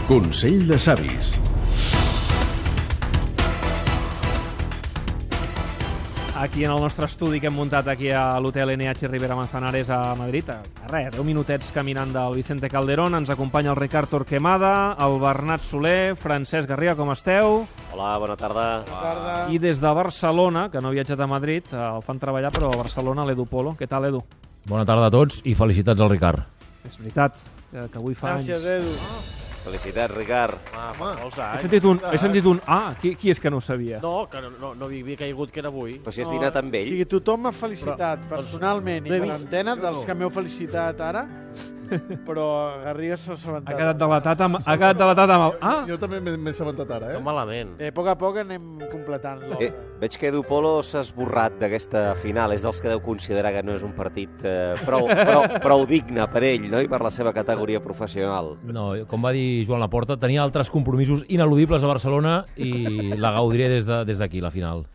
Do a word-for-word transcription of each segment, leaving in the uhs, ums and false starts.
Consell de savis. Aquí en el nostre estudi que hem muntat aquí a l'hotel N H Rivera Manzanares a Madrid, a res, deu minutets caminant del Vicente Calderón, ens acompanya el Ricard Torquemada, el Bernat Soler, Francesc Garriga, com esteu? Hola, bona tarda. Bona tarda. I des de Barcelona, que no ha viatjat a Madrid, el fan treballar, però a Barcelona, l'Edu Polo. Què tal, Edu? Bona tarda a tots i felicitats al Ricard. És veritat, que, que avui fa Gràcies, anys. Edu. Felicitats, Ricard. Ah, fa molts anys. He sentit un, he sentit un ah, qui, qui és que no ho sabia? No, que no, no, no havia caigut que era avui. Però si has dinat amb O ell. sigui, tothom m'ha felicitat Però, personalment no he i per vist. antena dels que m'heu felicitat ara, però Garriga s'ha Ha assabentat. quedat delatat amb, ha quedat delatat amb el... Ah! Jo també m'he m'he assabentat ara, Que eh? malament. Eh, a poc a poc anem completant Eh, l'obra. veig que Edu Polo s'ha esborrat d'aquesta final. És dels que deu considerar que no és un partit eh, prou, prou, prou digne per ell, no? I per la seva categoria professional. No, com va dir Joan Laporta, tenia altres compromisos ineludibles a Barcelona i la gaudiré des de- des d'aquí, la final.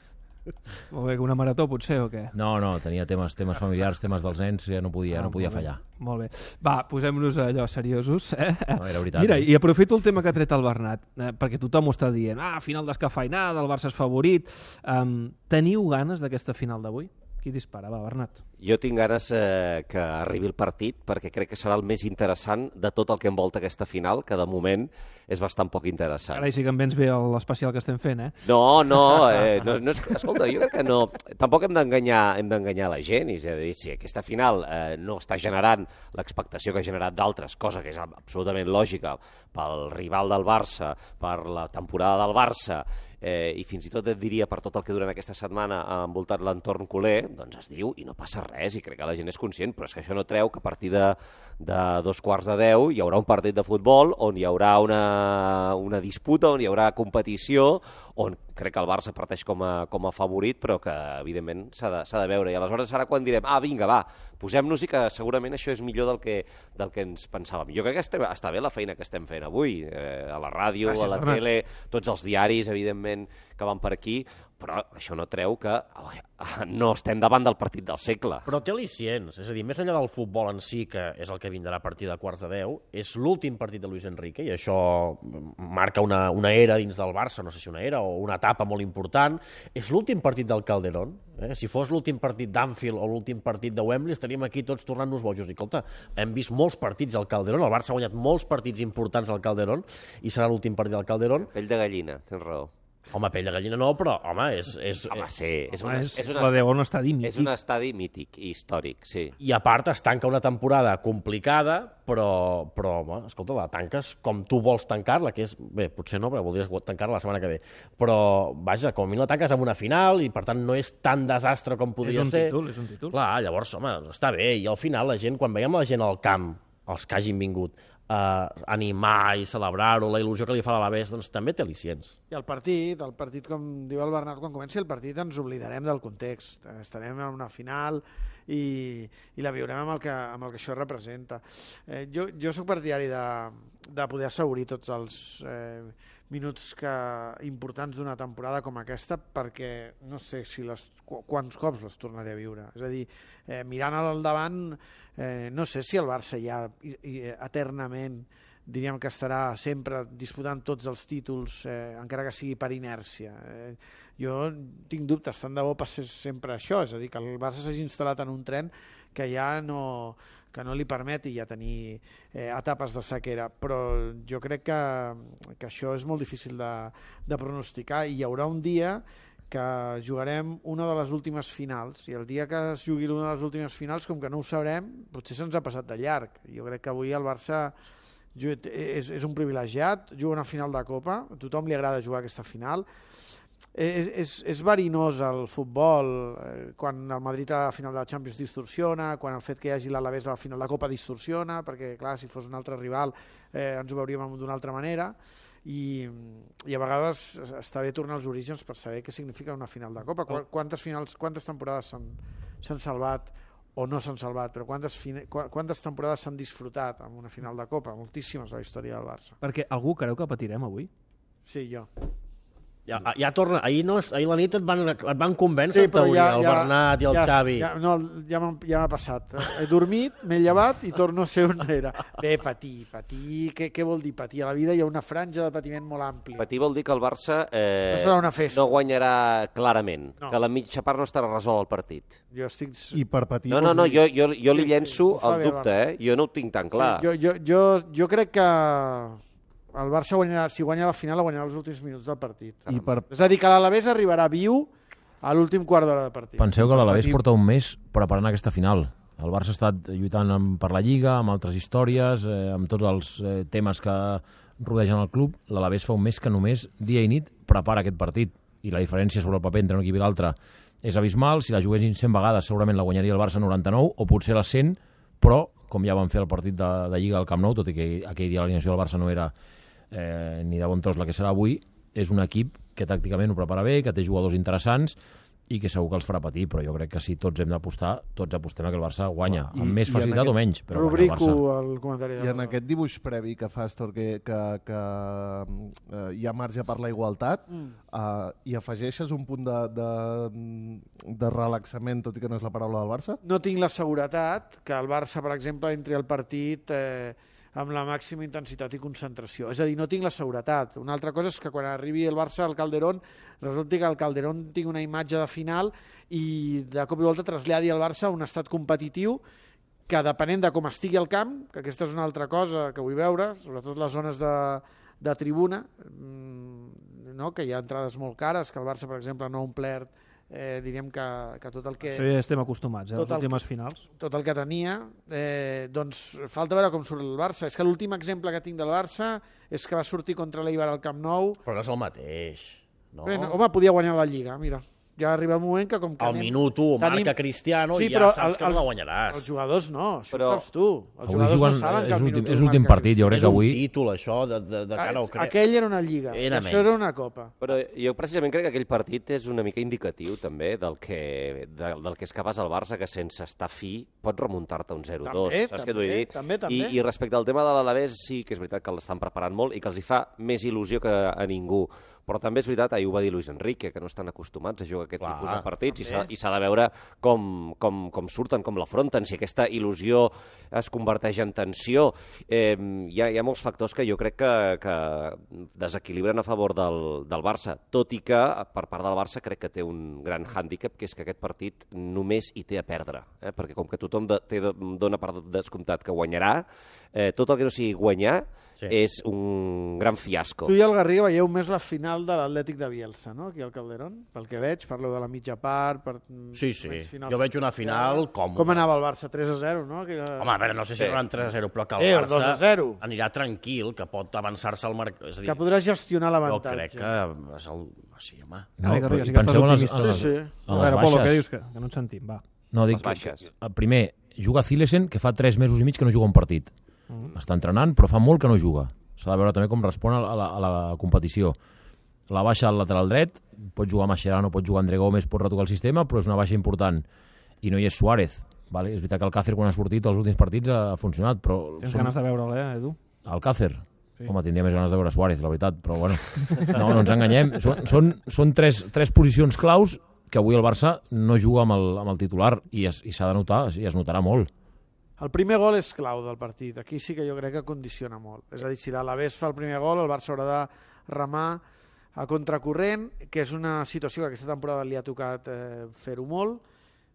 Molt bé, una marató potser o què? No, no, tenia temes temes familiars, temes dels nens, ja no podia, no podia molt bé, fallar. Molt bé. Va, posem-nos allò seriosos. Eh? No, era veritat. Mira, eh? i aprofito el tema que ha tret el Bernat, eh, perquè tothom ho està dient. Ah, final descafeinada, el Barça és favorit. Um, teniu ganes d'aquesta final d'avui? Qui dispara? Va, Bernat. Jo tinc ganes eh, que arribi el partit perquè crec que serà el més interessant de tot el que envolta aquesta final, que de moment és bastant poc interessant. Ara sí que em vens bé l'especial que estem fent, eh? No, no, eh, no, no és, escolta, jo crec que no, tampoc hem d'enganyar hem d'enganyar la gent, és a dir, si aquesta final eh, no està generant l'expectació que ha generat d'altres, cosa que és absolutament lògica pel rival del Barça, per la temporada del Barça, eh, i fins i tot et diria per tot el que durant aquesta setmana ha envoltat l'entorn culer, doncs es diu i no passa res, i crec que la gent és conscient, però és que això no treu que a partir de, de dos quarts de deu hi haurà un partit de futbol on hi haurà una, una disputa, on hi haurà competició, on crec que el Barça parteix com a, com a favorit, però que evidentment s'ha de, s'ha de veure, i aleshores serà quan direm, ah, vinga, va, posem-nos-hi, que segurament això és millor del que, del que ens pensàvem. Jo crec que estem, està bé la feina que estem fent avui, eh, a la ràdio, Gràcies, a la Bernat. tele, tots els diaris, evidentment, que van per aquí, però això no treu que oh, no estem davant del partit del segle. Però té al·licients, és a dir, més enllà del futbol en si, que és el que vindrà a partir de quarts de deu, és l'últim partit de Luis Enrique, i això marca una, una era dins del Barça, no sé si una era o una etapa molt important. És l'últim partit del Calderón. Eh? Si fos l'últim partit d'Anfield o l'últim partit de Wembley, estaríem aquí tots tornant-nos bojos. I, escolta, hem vist molts partits al Calderón, el Barça ha guanyat molts partits importants al Calderón, i serà l'últim partit del Calderón. Pell de gallina, tens raó. Home, pell de gallina no, però, home, és... és Home, sí, és, Home, una, és, és, la una, deu un estadi mític. és un estadi mític i històric, sí. I a part es tanca una temporada complicada, però, però home, escolta, la tanques com tu vols tancar-la, que és... Bé, potser no, però voldries tancar-la la setmana que ve. Però, vaja, com a mi la tanques amb una final i, per tant, no és tan desastre com podria És un ser. títol, és un títol. Clar, llavors, home, està bé. I al final la gent, quan veiem la gent al camp, els que hagin vingut, eh, animar i celebrar-ho, la il·lusió que li fa a l'Alavés, doncs també té al·licients. I el partit, el partit, com diu el Bernat, quan comenci el partit ens oblidarem del context. Estarem en una final i, i la viurem amb el que, amb el que això representa. Eh, jo, jo sóc partidari de, de poder assegurir tots els eh, minuts que, importants d'una temporada com aquesta, perquè no sé si les, qu quants cops les tornaré a viure. És a dir, eh, mirant al davant, eh, no sé si el Barça ja i, i, eternament diríem que estarà sempre disputant tots els títols, eh, encara que sigui per inèrcia. Eh, jo tinc dubtes, tant de bo passés sempre això, és a dir, que el Barça s'hagi instal·lat en un tren que ja no, que no li permeti ja tenir eh, etapes de sequera, però jo crec que, que això és molt difícil de, de pronosticar, i hi haurà un dia que jugarem una de les últimes finals, i el dia que es jugui una de les últimes finals, com que no ho sabrem, potser se'ns ha passat de llarg. Jo crec que avui el Barça és, és un privilegiat, juga una final de Copa, a tothom li agrada jugar aquesta final. És, és, és verinós el futbol, eh, quan el Madrid a la final de la Champions distorsiona, quan el fet que hi hagi l'Alavés a la final de Copa distorsiona, perquè clar, si fos un altre rival eh, ens ho veuríem d'una altra manera, i, i a vegades està bé tornar als orígens per saber què significa una final de Copa. Quantes finals, quantes temporades s'han salvat o no s'han salvat, però quantes, quantes temporades s'han disfrutat amb una final de Copa? Moltíssimes a la història del Barça. Perquè algú creu que patirem avui? Sí, jo. Ja, ja torna, ahir, no, ahir la nit et van, et van convèncer, Sí, però teoria, ja, el ja, Bernat i el ja, Xavi. Ja, no, ja m'ha ja m'ha passat. He dormit, m'he llevat i torno a ser on era. Bé, patir, patir, què, què vol dir patir? A la vida hi ha una franja de patiment molt àmplia. Patir vol dir que el Barça eh, No serà una festa. no guanyarà clarament, No. que la mitja part no estarà resolt el partit. Jo estic... I per patir... No, no, no, jo, jo, jo li Sí, sí, llenço ho fa el bé, dubte, eh? Jo no ho tinc tan clar. Jo, jo, jo, jo crec que el Barça guanyarà, si guanya la final, la guanyarà els últims minuts del partit. I per... És a dir, que l'Alavés arribarà viu a l'últim quart d'hora de partit. Penseu que l'Alavés Patim. porta un mes preparant aquesta final. El Barça ha estat lluitant amb, per la Lliga, amb altres històries, eh, amb tots els eh, temes que rodegen el club. L'Alavés fa un mes que només, dia i nit, prepara aquest partit. I la diferència sobre el paper entre un equip i l'altre és abismal. Si la juguessin cent vegades, segurament la guanyaria el Barça noranta-nou, o potser les cent, però, com ja van fer el partit de, de Lliga al Camp Nou, tot i que aquell dia l'alineació del Barça no era eh, ni de bon tros la que serà avui, és un equip que tàcticament ho prepara bé, que té jugadors interessants i que segur que els farà patir, però jo crec que si tots hem d'apostar, tots apostem a que el Barça guanya, I- amb més i en facilitat aquest- o menys, però guanya el Rubrico Barça. el comentari. I en aquest dibuix previ que fas, Tor, que, que, que eh, hi ha marge per la igualtat, Mm. eh, i afegeixes un punt de, de, de relaxament, tot i que no és la paraula del Barça? No tinc la seguretat que el Barça, per exemple, entri al partit eh, amb la màxima intensitat i concentració. És a dir, no tinc la seguretat. Una altra cosa és que quan arribi el Barça al Calderón, resulti que el Calderón tingui una imatge de final i de cop i volta traslladi al Barça a un estat competitiu que, depenent de com estigui el camp, que aquesta és una altra cosa que vull veure, sobretot les zones de, de tribuna, mmm, no? Que hi ha entrades molt cares, que el Barça, per exemple, no ha omplert, eh, diríem que, que tot el que... Sí, estem acostumats, eh, a les Tot el últimes finals. tot el que tenia, eh, doncs falta veure com surt el Barça. És que l'últim exemple que tinc del Barça és que va sortir contra l'Eibar al Camp Nou. Però no és el mateix. No? Bé, no, home, podia guanyar la Lliga, mira. Ja arriba el moment que com que Al anem- minut u tenim- marca Cristiano Sí, i ja però saps el- que no el- la guanyaràs. Els jugadors no, això Però- ho saps tu. Els Avui jugadors juguen, no saben que és al l'últim- minut és u l'últim marca partit, jo crec És que un avui... títol, això, de, de, de cara al... Cristiano. Aquell era una Lliga, Era això menys. era una Copa. Però jo precisament crec que aquell partit és una mica indicatiu també del que, de, del que és capaç el Barça, que sense estar fi pot remuntar-te un zero dos. També, Saps què t'ho vull dir? també, també. I, I respecte al tema de l'Alavés, sí que és veritat que l'estan preparant molt i que els hi fa més il·lusió que a ningú. Però també és veritat, ahir ho va dir Luis Enrique, que no estan acostumats a jugar aquest Clar, tipus de partits i també. s'ha- i s'ha de veure com, com, com surten, com l'afronten, si aquesta il·lusió es converteix en tensió. Eh, hi, ha, hi ha molts factors que jo crec que, que desequilibren a favor del, del Barça, tot i que per part del Barça crec que té un gran hàndicap, que és que aquest partit només hi té a perdre, eh? Perquè com que tothom de, té, dona per descomptat que guanyarà, eh, tot el que no sigui guanyar Sí. és un gran fiasco. Tu i el Garriga veieu més la final de l'Atlètic de Bielsa, no?, aquí al Calderón, pel que veig, parleu de la mitja part... Per... Sí, sí. menys finals. Jo veig una final còmoda. Com anava el Barça? tres a zero, no? Aquella... Home, a veure, no sé si Sí. seran tres a zero, però que el Eh, Barça dos a zero. anirà tranquil, que pot avançar-se al mercat. És a dir, Que podrà gestionar jo l'avantatge. crec que és el... Sí, home. No, Vinga, però Garriga, sí que estàs penseu en les, optimista. en les, Sí, sí. en A les veure, Polo, què baixes. dius? Que, que no et sentim, va. No, dic, Les baixes. que, primer, juga Zilesen, que fa tres mesos i mig que no juga un partit. Mm. Està entrenant, però fa molt que no juga. S'ha de veure també com respon a la, a la, a la competició. La baixa al lateral dret, pot jugar Mascherano, pot jugar André Gómez, pot retocar el sistema, però és una baixa important. I no hi és Suárez. Vale? És veritat que el Càcer, quan ha sortit els últims partits, ha funcionat, però... Tens ganes de veure'l, eh, Edu? El Càcer? Sí. Sí. Home, tindria més ganes de veure Suárez, la veritat, però bueno, no, no ens enganyem. Són, són, són tres, tres posicions claus que avui el Barça no juga amb el, amb el titular i es- i s'ha de notar, i es notarà molt. El primer gol és clau del partit. Aquí sí que jo crec que condiciona molt. És a dir, si l'Alavés fa el primer gol, el Barça haurà de remar a contracorrent, que és una situació que aquesta temporada li ha tocat eh, fer-ho molt.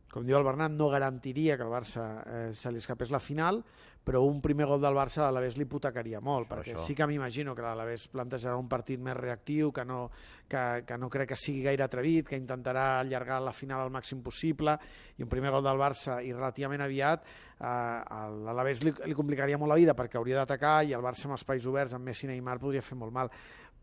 Com diu el Bernat, no garantiria que el Barça eh, se li escapés la final, però un primer gol del Barça a l'Alavés li hipotecaria molt, Això, perquè això. sí que m'imagino que l'Alavés plantejarà un partit més reactiu, que no, que, que no crec que sigui gaire atrevit, que intentarà allargar la final al màxim possible, i un primer gol del Barça i relativament aviat, eh, a l'Alavés li, li complicaria molt la vida perquè hauria d'atacar, i el Barça amb espais oberts, amb Messi i Neymar, podria fer molt mal.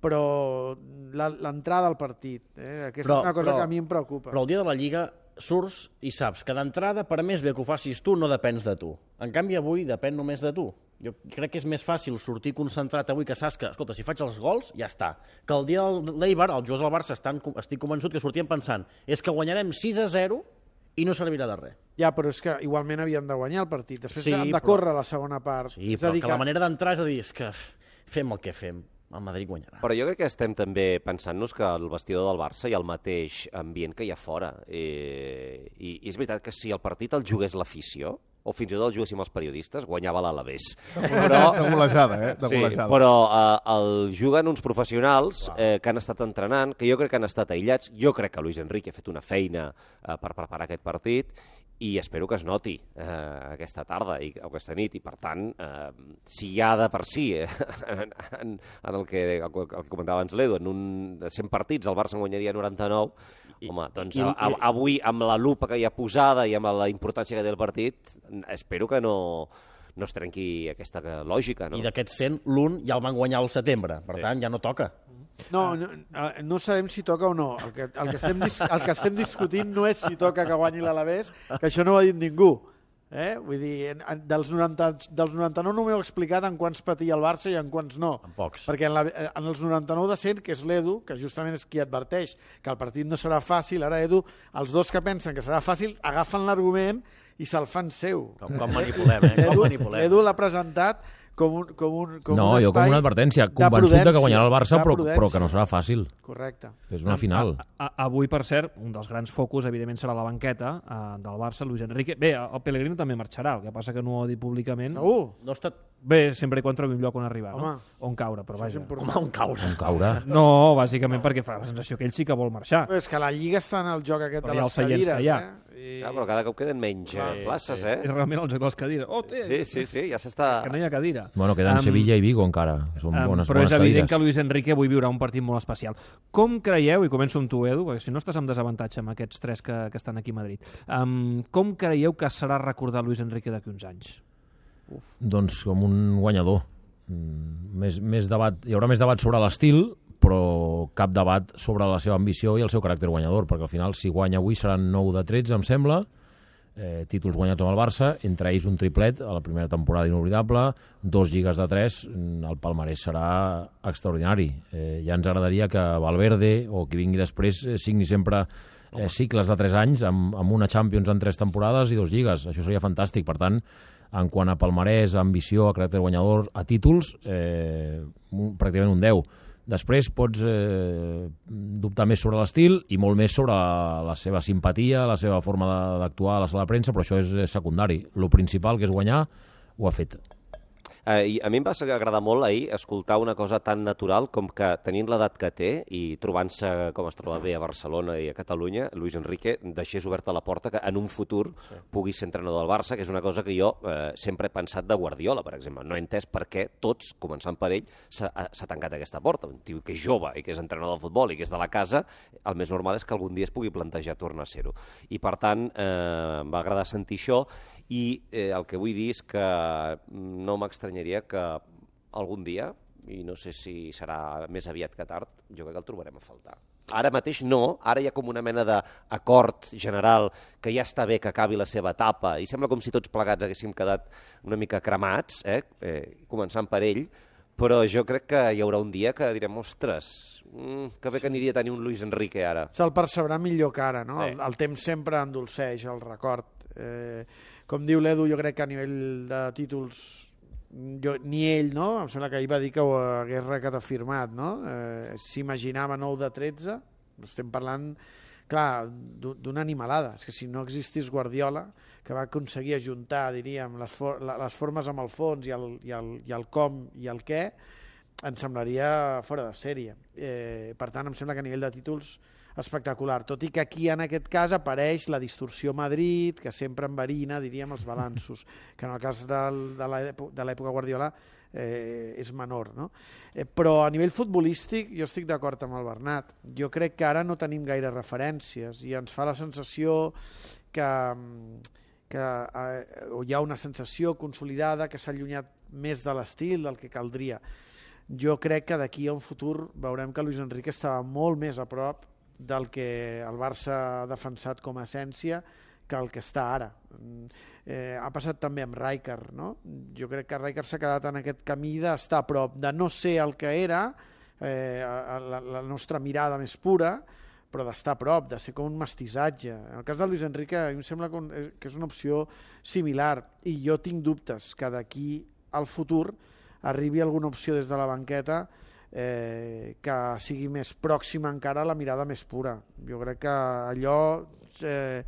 Però la- l'entrada al partit, eh, aquesta Però- és una cosa però- que a mi em preocupa. Però el dia de la Lliga surts i saps que d'entrada, per més bé que ho facis tu, no depens de tu. En canvi, avui depèn només de tu. Jo crec que és més fàcil sortir concentrat avui, que saps que, escolta, si faig els gols, ja està. Que el dia de l'Eibar, els jugadors del Barça, estan, estic convençut que sortien pensant és que guanyarem sis a zero i no servirà de res. Ja, però és que igualment havien de guanyar el partit. Després Sí, han de però- córrer la segona part. Sí, és a però dir que la manera d'entrar és a dir, és que fem el que fem. el Madrid guanyarà. Però jo crec que estem també pensant-nos que el vestidor del Barça hi ha el mateix ambient que hi ha fora. I, i és veritat que si el partit el jugués l'afició, o fins i tot el juguéssim els periodistes, guanyava l'Alavés. Però, De golejada, eh? De sí, golejada. però eh, el juguen uns professionals eh, que han estat entrenant, que jo crec que han estat aïllats. Jo crec que Luis Enrique ha fet una feina eh, per preparar aquest partit i espero que es noti eh, aquesta tarda i, o aquesta nit. I, per tant, eh, si hi ha de per si, eh, en, en, en el, que, el que comentava abans l'Edu, en un, de cent partits el Barça en guanyaria noranta-nou, I, home, doncs i, a, a, avui, amb la lupa que hi ha posada i amb la importància que té el partit, espero que no, no es trenqui aquesta lògica. No? I d'aquests cent, l'un ja el van guanyar al setembre, per Sí. tant, ja no toca. No, no, no sabem si toca o no. El que, el, que estem, dis- el que estem discutint no és si toca que guanyi l'Alavés, que això no ho ha dit ningú. Eh? Vull dir, en, en, dels, noranta, dels noranta-nou no m'heu explicat en quants patia el Barça i en quants no. En pocs. Perquè en, la, en els noranta-nou de cent, que és l'Edu, que justament és qui adverteix que el partit no serà fàcil, ara Edu, els dos que pensen que serà fàcil agafen l'argument i se'l fan seu. Com, com manipulem, eh? Com Edu, manipulem. Edu l'ha presentat com un, com un, com No, un jo com espai una advertència, de convençut de que prudència, guanyarà el Barça, de però, prudència. però que no serà fàcil. Correcte. És una final. A, a, avui, per cert, un dels grans focus, evidentment, serà la banqueta uh, del Barça, Luis Enrique. Bé, el Pellegrino també marxarà, el que passa que no ho ha dit públicament. Segur? No ha estat... Bé, sempre i quan trobi un lloc on arribar, Home. no? On caure, però Això és vaja. important. Home, un caure. On caure. No, bàsicament perquè fa la sensació que ell sí que vol marxar. Però és que la Lliga està en el joc aquest Però de hi ha les els seients cadires, que hi ha. eh? I... Ja, però cada cop queden menys eh, Sí, places, sí. eh? És realment el joc de les cadires. Oh, té, Sí, sí, sí, ja s'està... que no hi ha cadira. Bueno, queden Am, Sevilla i Vigo encara, que són am, bones, però bones és evident cadires. que Luis Enrique avui viurà un partit molt especial. Com creieu, i començo amb tu, Edu, perquè si no estàs amb desavantatge amb aquests tres que, que estan aquí a Madrid, um, com creieu que serà recordar Luis Enrique d'aquí uns anys? Doncs com un guanyador. Mm, Més, més debat, hi haurà més debat sobre l'estil, però cap debat sobre la seva ambició i el seu caràcter guanyador, perquè al final, si guanya avui, seran nou de tretze, em sembla, eh, títols guanyats amb el Barça, entre ells un triplet a la primera temporada inoblidable, dos lligues de tres, el palmarès serà extraordinari. Eh, ja ens agradaria que Valverde o qui vingui després eh, signi sempre eh, cicles de tres anys amb, amb una Champions en tres temporades i dos lligues. Això seria fantàstic. Per tant, en quant a palmarès, a ambició, a caràcter guanyador, a títols, eh, un, pràcticament un deu. Després pots eh, dubtar més sobre l'estil i molt més sobre la, la seva simpatia, la seva forma d'actuar a la sala de premsa, però això és secundari. Lo principal, que és guanyar, ho ha fet. Eh, i a mi em va agradar molt ahir escoltar una cosa tan natural com que tenint l'edat que té i trobant-se com es troba bé a Barcelona i a Catalunya, Luis Enrique deixés oberta la porta que en un futur sí. pugui ser entrenador del Barça, que és una cosa que jo eh, sempre he pensat de Guardiola, per exemple. No he entès per què tots, començant per ell, s'ha tancat aquesta porta. Un tio que és jove i que és entrenador del futbol i que és de la casa, el més normal és que algun dia es pugui plantejar tornar a ser-ho. I per tant, eh, em va agradar sentir això. I eh, el que vull dir és que no m'estranyaria que algun dia, i no sé si serà més aviat que tard, jo crec que el trobarem a faltar. Ara mateix no, ara hi ha com una mena d'acord general que ja està bé que acabi la seva etapa i sembla com si tots plegats haguéssim quedat una mica cremats, eh? Eh, començant per ell, però jo crec que hi haurà un dia que direm, ostres, mm, que bé que aniria a tenir un Luis Enrique ara. Se'l percebrà millor que ara, no? Sí. El, el temps sempre endolceix el record. Eh, com diu l'Edu, jo crec que a nivell de títols jo, ni ell, no? Em sembla que ahir va dir que ho hagués reafirmat, no? Eh, S'imaginava nou de tretze, estem parlant, clar, d'una animalada. És que si no existís Guardiola, que va aconseguir ajuntar, diríem, les, for les formes amb el fons i el, i, el, i el com i el què, em semblaria fora de sèrie. Eh, per tant, em sembla que a nivell de títols espectacular, tot i que aquí en aquest cas apareix la distorsió Madrid, que sempre enverina, diríem, els balanços, que en el cas del, de l'època Guardiola eh, és menor, no? Eh, però a nivell futbolístic jo estic d'acord amb el Bernat. Jo crec que ara no tenim gaire referències i ens fa la sensació que, que eh, hi ha una sensació consolidada que s'ha allunyat més de l'estil del que caldria. Jo crec que d'aquí a un futur veurem que Luis Enrique estava molt més a prop del que el Barça ha defensat com a essència que el que està ara. Eh, ha passat també amb Rijkaard, no? Jo crec que Rijkaard s'ha quedat en aquest camí d'estar a prop, de no ser el que era, eh, la, la nostra mirada més pura, però d'estar a prop, de ser com un mestissatge. En el cas de Luis Enrique, a mi em sembla que és una opció similar, i jo tinc dubtes que d'aquí al futur arribi alguna opció des de la banqueta eh, que sigui més pròxima encara a la mirada més pura. Jo crec que allò, eh,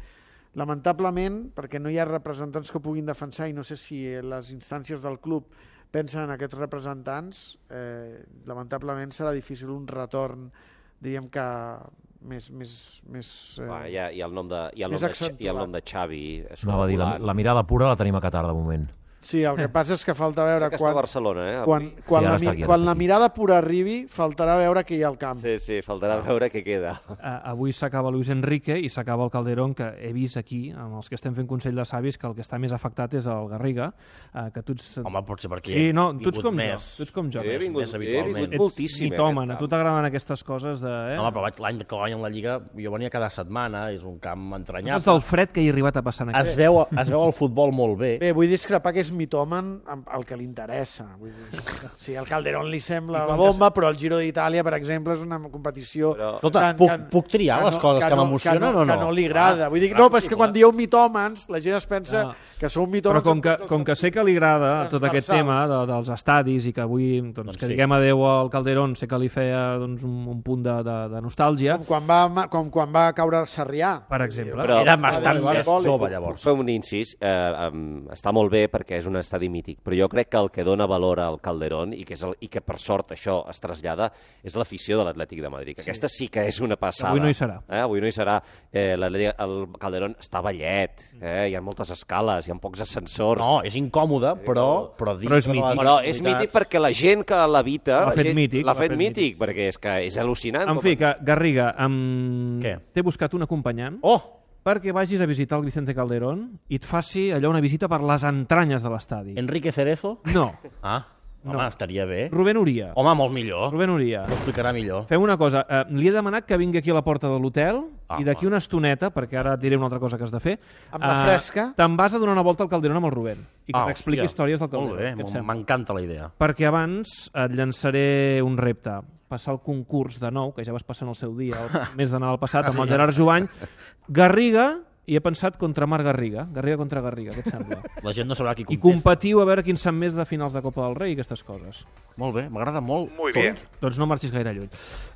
lamentablement, perquè no hi ha representants que ho puguin defensar, i no sé si les instàncies del club pensen en aquests representants, eh, lamentablement serà difícil un retorn, diríem que més... més, més eh, Va, hi, ha, hi, ha el nom de, hi, ha el nom de, hi ha el nom de Xavi. No, va dir, la, la mirada pura la tenim a Qatar de moment. Sí, el que passa és que falta veure que quan, està a Barcelona, eh, quan, avui. quan, Sí, la, ara està aquí, ara quan està la aquí. mirada pura arribi, faltarà veure què hi ha al camp. Sí, sí, faltarà veure què queda. Uh, avui s'acaba Luis Enrique i s'acaba el Calderón, que he vist aquí, amb els que estem fent Consell de Savis, que el que està més afectat és el Garriga, uh, que tu ets... Home, potser perquè Sí, no, he tu ets vingut com més. jo, tu ets com jo. He més. vingut, més he habitualment. vingut Ets moltíssim. mitòman, eh, a tu t'agraden aquestes coses de... Eh? No, home, però vaig- l'any que guanyen la Lliga jo venia cada setmana, és un camp Saps entranyable. el fred que hi ha arribat a passar en Es aquest? veu, es veu el futbol molt bé. Bé, vull discrepar que és mitòman amb el que li interessa. Vull dir, sí, el Calderón li sembla I la quan bomba, però el Giro d'Itàlia, per exemple, és una competició... Però- Escolta, puc, puc triar les coses que, no- m'emocionen no, o no? Que no li agrada. Ah, Vull dir, clar no, que però és sí, que quan clar. dieu mitòmans, la gent es pensa No. que sou Però mitòmans... com que, en tots com que els sé que li agrada tot aquest transversals. tema de, dels estadis i que avui doncs, Doncs que sí. diguem adeu al Calderón, sé que li feia doncs, un, un punt de, de, de nostàlgia, Com quan va, com quan va caure Sarrià. per exemple. Però- Era bastant Vale, vale, més vale. jove, Puc llavors. fer un incís, eh, um, està molt bé perquè és un estadi mític, però jo crec que el que dona valor al Calderón i que, és el, i que per sort això es trasllada és l'afició de l'Atlètic de Madrid, que sí. Aquesta sí que és una passada. Avui no hi serà. Eh? Avui no hi serà. Eh, l'Atlètic- el Calderón està ballet, eh? Hi ha moltes escales, hi ha pocs ascensors. No, és incòmode, però... Però, Però és dintre de mític. les Però és activitats- mític perquè la gent que l'habita... L'ha la fet gent- mític, L'ha l'ha fet fet mític, mític. perquè és que és al·lucinant. En fi, que Garriga, amb... Què? t'he buscat un acompanyant Oh! perquè vagis a visitar el Vicente Calderón i et faci allò una visita per les entranyes de l'estadi. Enrique Cerezo? No, Ah, home, No. estaria bé. Rubén Uria. Home, molt millor. Rubén Uria. Ho explicarà millor. Fem una cosa, eh, li he demanat que vingui aquí a la porta de l'hotel Ah, i d'aquí una estoneta, perquè ara et diré una altra cosa que has de fer, Amb la eh, fresca. te'n vas a donar una volta al Calderón amb el Rubén i que Ah, t'expliqui hòstia. històries del Molt Calderón. bé, Què et m- sembla? m'encanta la idea. Perquè abans et llançaré un repte, passar el concurs de nou, que ja vas passar en el seu dia, el mes de Nadal passat, amb el Gerard Jovany, Garriga, i he pensat contra Marc Garriga, Garriga contra Garriga, què et sembla? La gent no sabrà qui I contesta. competiu a veure quin sap més de finals de Copa del Rei i aquestes coses. Molt bé, m'agrada molt. Muy bien. Doncs no marxis gaire lluny.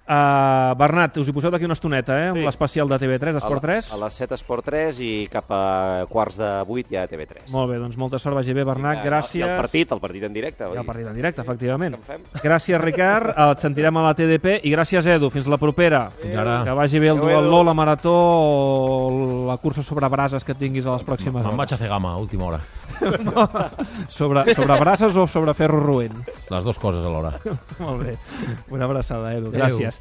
Uh, Bernat, us hi poseu d'aquí una estoneta, eh, amb Sí. l'especial de T V tres, A, Esport tres. a les set Esport tres i cap a quarts de vuit ja a T V tres. Molt bé, doncs molta sort, vagi bé, Bernat, I gràcies. el partit, el partit en directe. I el partit en directe, efectivament. Què en fem? Gràcies, Ricard, et sentirem a la T D P i gràcies, Edu, fins la propera. Fins ara. Que vagi bé el Adéu, duatló, Edu. la marató o la cursa sobre brases que tinguis a les pròximes Me'n hores. vaig a fer gama, a última hora. Sobre, sobre brases o sobre ferro roent? Les dues coses alhora. Molt bé. Una abraçada, Edu. Adéu. Gràcies.